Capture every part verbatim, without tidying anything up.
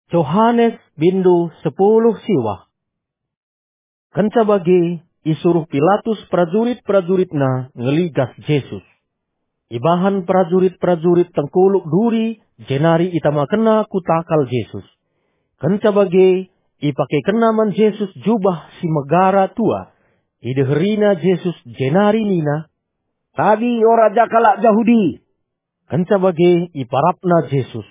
Johanes bindu sepuluh siwah. Kenca bage, isuruh Pilatus perajurit-perajuritna ngeligas Jesus. Ibahan perajurit-perajurit tengkuluk duri, jenari itamakenna ku takal Jesus. Kenca bage, ipakekenna man Jesus jubah si megara tua. Ideherina Jesus jenari nina, "Tabi, o raja kalak Jahudi!" Kenca bage iparapna Jesus.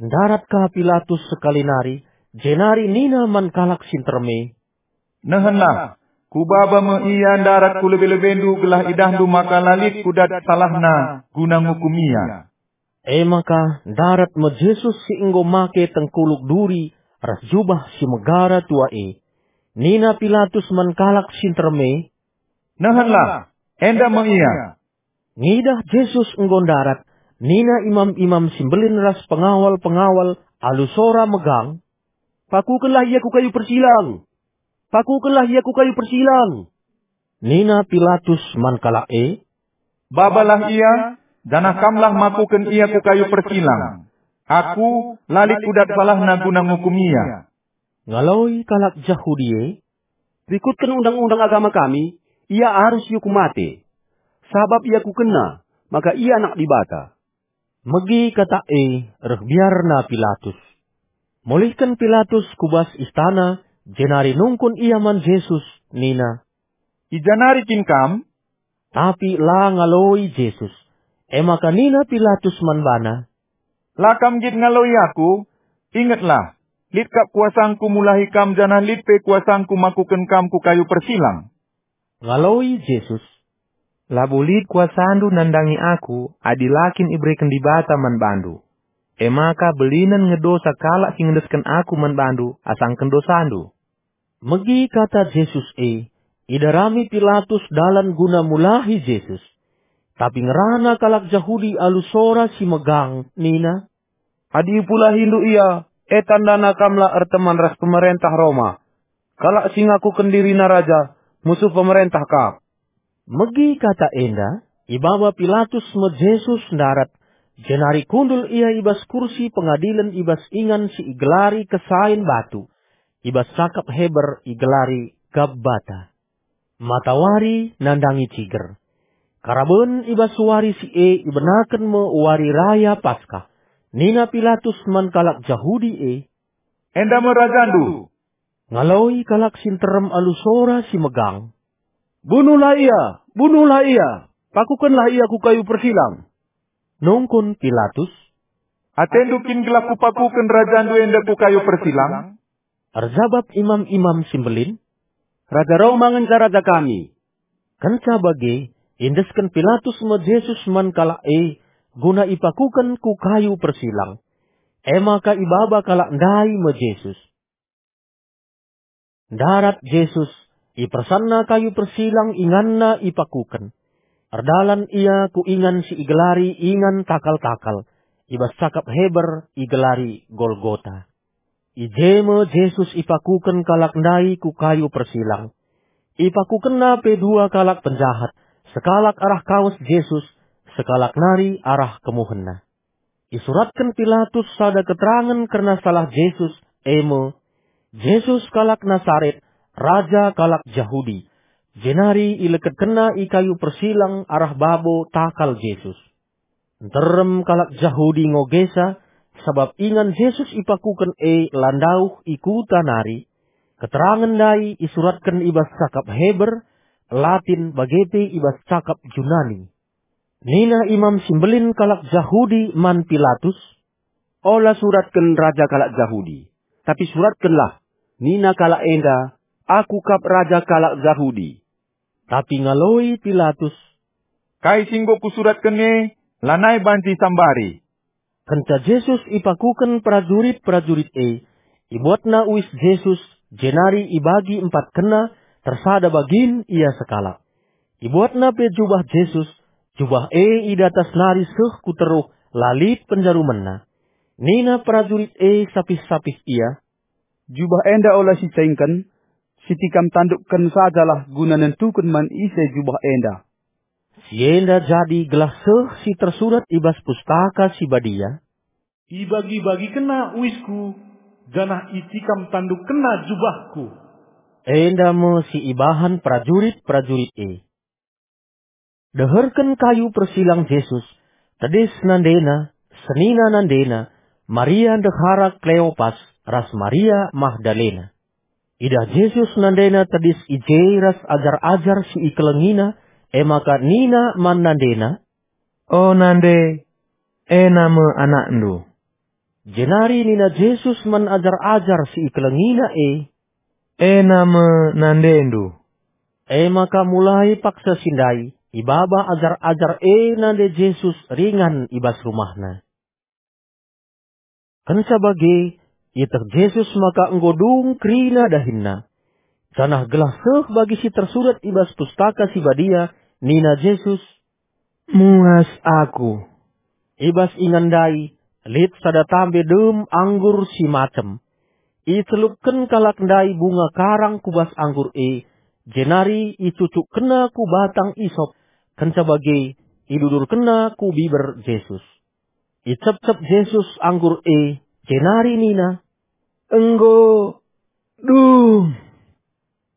Ndarat ka Pilatus sekali nari, jenari nina man kalak si nterem e, "Nehenlah, kubaba me ia ndarat ku lebe-lebendu gelah idahndu maka la lit kudat salahna guna ngukum ia." E maka ndarat me Jesus si enggo make tengkuluk duri ras jubah si megara tua e. Nina Pilatus man kalak si nterem e, "Nehenlah, enda me ia." Ngidah Jesus enggo ndarat, nina imam-imam si mbelin ras pengawal-pengawal alu sora megang, "Pakukenlah ia ku kayu persilang! Pakukenlah ia ku kayu persilang!" Nina Pilatus man kalak e, "Babalah ia, janah kamlah makuken ia ku kayu persilang. Aku la lit kudat salahna guna ngukum ia." Ngaloi kalak Jahudi e, "Rikutken undang-undang agama kami, ia arus iukum mate, sabap iakukenna maka ia Anak Dibata." Megi kata e, reh biarna Pilatus. Mulihken Pilatus ku bas istana, jenari nungkun ia man Jesus, nina, "I ja nari kin Kam?" Tapi la ngaloi Jesus. E maka nina Pilatus man bana, "La Kam nggit ngaloi Aku? Ingetlah, lit kap kuasangKu mulahi Kam janah lit pe kuasangKu makuken Kam ku kayu persilang." Ngaloi Jesus, "Labo lit kuasandu nandangi Aku adi la kin ibereken Dibata man bandu. E maka belinen nge dosa kalak si ngendesken Aku man bandu asangken dosandu." Megi kata Jesus e, idarami Pilatus dalan guna mulahi Jesus. Tapi ngerana kalak Jahudi alu sora si megang nina, "Adi ipulahindu ia, e tandana kamlah erteman ras pemerentah Roma. Kalak si ngakuken dirina raja, musuh pemerentah kap." Megi kata enda, ibaba Pilatus me Jesus ndarat, jenari kundul ia i bas kursi pengadilen i bas ingan si igelari Kesain Batu, i bas cakap Heber igelari Gabbata. Matawari nandangi ciger. Karaben i bas wari si e ibenaken me Wari Raya Paskah. Nina Pilatus man kalak Jahudi e, "Enda me rajandu!" Ngaloi kalak si nterem alu sora si megang, "Bunuhlah ia! Bunuhlah ia! Pakukenlah ia ku kayu persilang!" Nungkun Pilatus, "Atendu kin gelah kupakuken rajandu enda ku kayu persilang?" Erjabap imam-imam si mbelin, "Raja Roma ngenca raja kami." Kenca bage, iendesken Pilatus me Jesus man kalak e, guna ipakuken ku kayu persilang. E maka ibaba kalak ndai me Jesus. Ndarat Jesus, ipersanna kayu persilang inganna ipakuken. Erdalan ia ku ingan si igelari Ingan Takal-takal, i bas cakap Heber igelari Golgota. I je me Jesus ipakuken kalak ndai ku kayu persilang. Ipakukenna pe dua kalak penjahat, sekalak arah kawes Jesus, sekalak nari arah kemuhenna. Isuratken Pilatus sada keterangen kerna salah Jesus, e me, "Jesus kalak Nasaret, raja kalak Jahudi." Jenari ileketkenna i kayu persilang arah babo takal Jesus. Nterem kalak Jahudi ngogesa, sabap ingan Jesus ipakuken e la ndauh i kuta nari. Keterangen ndai isuratken i bas cakap Heber, Latin, bage pe i bas cakap Junani. Nina imam si mbelin kalak Jahudi man Pilatus, "Ola suratken raja kalak Jahudi, tapi suratkenlah, nina kalak enda, 'Aku kap raja kalak Jahudi.'" Tapi ngaloi Pilatus, "Kai si enggo kusuratken e, lanai banci sambari." Kenca Jesus ipakuken perajurit-perajurit e, ibuatna uis Jesus, jenari ibagi empatkenna, tersada bagin ia sekalak. Ibuatna pe jubah Jesus, jubah e i datas nari seh ku teruh, la lit penjarumenna. Nina perajurit e sapih-sapih ia, "Jubah enda ola sicaingken, sitikam tandukken sajalah guna nentuken man ise jubah enda." Si enda jadi gelah seh si tersurat i bas Pustaka Si Badia, "Ibagi-bagikenna uisku janah itikam tandukkenna jubahku." Enda me si ibahan perajurit-perajurit e. Deherken kayu persilang Jesus, tedis nandena, senina nandena, Maria ndehara Kleopas, ras Maria Magdalena. Idah Jesus nandena tedis i je ras ajar-ajar si ikelengina, e maka nina man nandena, "O nande, ena me anakndu." Jenari nina Jesus man ajar-ajar si ikelengina e, "Ena me nandendu." E maka mulai paksa si ndai, ibaba ajar-ajar e nande Jesus ringan i bas rumahna. Kenca bage, ieteh Jesus maka enggo dung kerina dahinna. Janah gelah seh bagi si tersurat i bas Pustaka Si Badia, nina Jesus, "Muas aku." I bas ingan ndai, lit sada tambe dem anggur si macem. Icelupken kalak ndai bunga karang ku bas anggur e, jenari icucukkenna ku batang isop, kenca bage idudurkenna ku biber Jesus. Icepcep Jesus anggur e, jenari nina, "Enggo dung."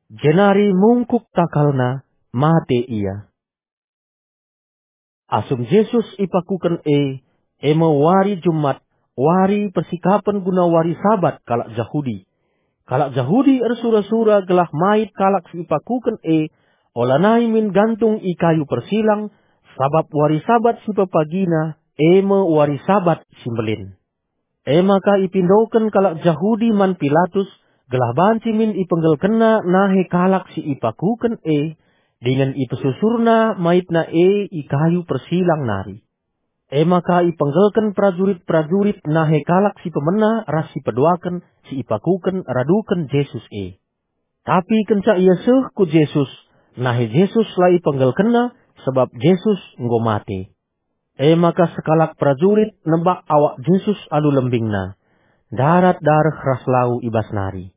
Jenari mungkuk takalna, mate ia. Asum Jesus ipakuken e, e me wari Jumat, wari persikapen guna wari Sabat kalak Jahudi. Kalak Jahudi ersura-sura gelah mait kalak si ipakuken e, olanai min gantung i kayu persilang, sabap wari Sabat si pepagina, e me wari Sabat si mbelin. E maka ipindoken kalak Jahudi man Pilatus, gelah banci min ipenggelkenna nahe kalak si ipakuken e, dingen ipesusurna maitna e i kayu persilang nari. E maka ipenggelken perajurit-perajurit nahe kalak si pemena ras si peduaken si ipakuken raduken Jesus e. Tapi kenca ia seh ku Jesus, nahe Jesus la ipenggelkenna, sabap Jesus enggo mate. E maka sekalak perajurit nebak awak Jesus alu lembingna, ndarat dareh ras lau i bas nari.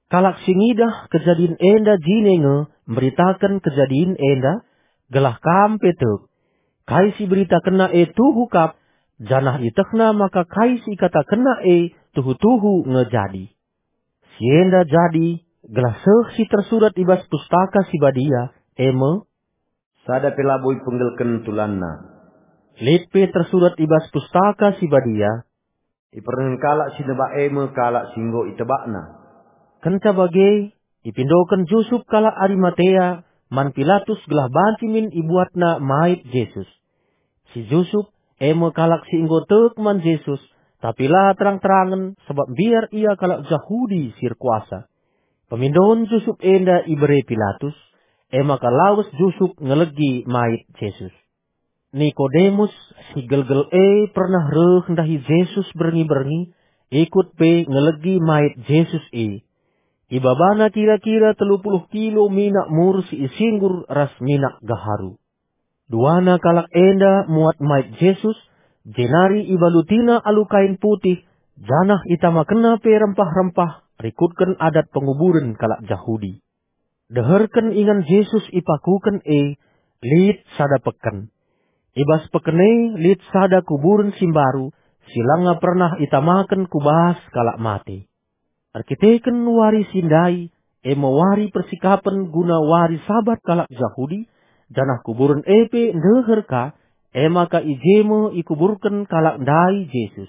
Kalak si ngidah kejadin enda jine nge mberitaken kejadin enda, gelah kam pe tek. Kai si iberitakenna e tuhu kap, janah ietehna maka kai si ikatakenna e tuhu-tuhu nge jadi. Si enda jadi gelah seh si tersurat i bas Pustaka Si Badia, e me, "Sada pe labo ipenggelken tulanna." Lit pe tersurat i bas Pustaka Si Badia, "Ipernehen kalak si nebak e me kalak si enggo itebakna." Kenca bage, ipindoken Jusup kalak Arimatea man Pilatus gelah banci min ibuatna mait Jesus. Si Jusup, e me kalak si enggo tek man Jesus, tapi la terang-terangen, sabap mbiar ia kalak Jahudi si erkuasa. Pemindoen Jusup enda ibere Pilatus, e maka lawes Jusup ngelegi mait Jesus. Nikodemus, si gelgel e pernah reh ndahi Jesus berngi-berngi, ikut pe ngelegi mait Jesus e. Ibabana kira-kira telu puluh kilo minak mur si isinggur ras minak gaharu. Duana kalak enda muat mait Jesus, jenari ibalutina alu kain putih, janah itamakenna pe rempah-rempah rikutken adat penguburen kalak Jahudi. Deherken ingan Jesus ipakuken e, lit sada peken. I bas peken e lit sada kuburen si mbaru, si langa pernah itamaken ku bas kalak mate. Erkiteken wari si ndai, e me wari persikapen guna wari Sabat kalak Jahudi, janah kuburen e pe ndeher ka, e maka i je me ikuburken kalak ndai Jesus.